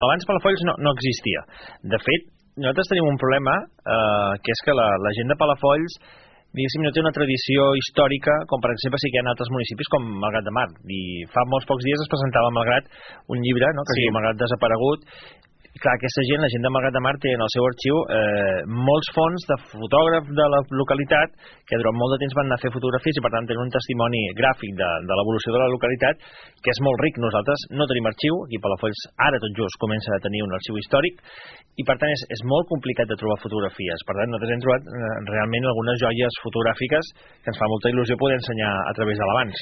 Abans Palafolls no existia. De fet, nosaltres tenim un problema, que és que la gent de Palafolls, diguéssim, no té una tradició històrica, com per exemple sí que hi ha en altres municipis com Malgrat de Mar. I fa molts pocs dies es presentava a Malgrat un llibre, no?, que es diu Malgrat desaparegut. I clar, aquesta gent, la gent de Malgrat de Mar, té en el seu arxiu molts fons de fotògrafs de la localitat que durant molt de temps van anar a fer fotografies i per tant tenen un testimoni gràfic de l'evolució de la localitat que és molt ric. Nosaltres no tenim arxiu, aquí a Palafolls ara tot just comença a tenir un arxiu històric i per tant és molt complicat de trobar fotografies. Per tant nosaltres hem trobat realment algunes joies fotogràfiques que ens fa molta il·lusió poder ensenyar a través de l'Abans.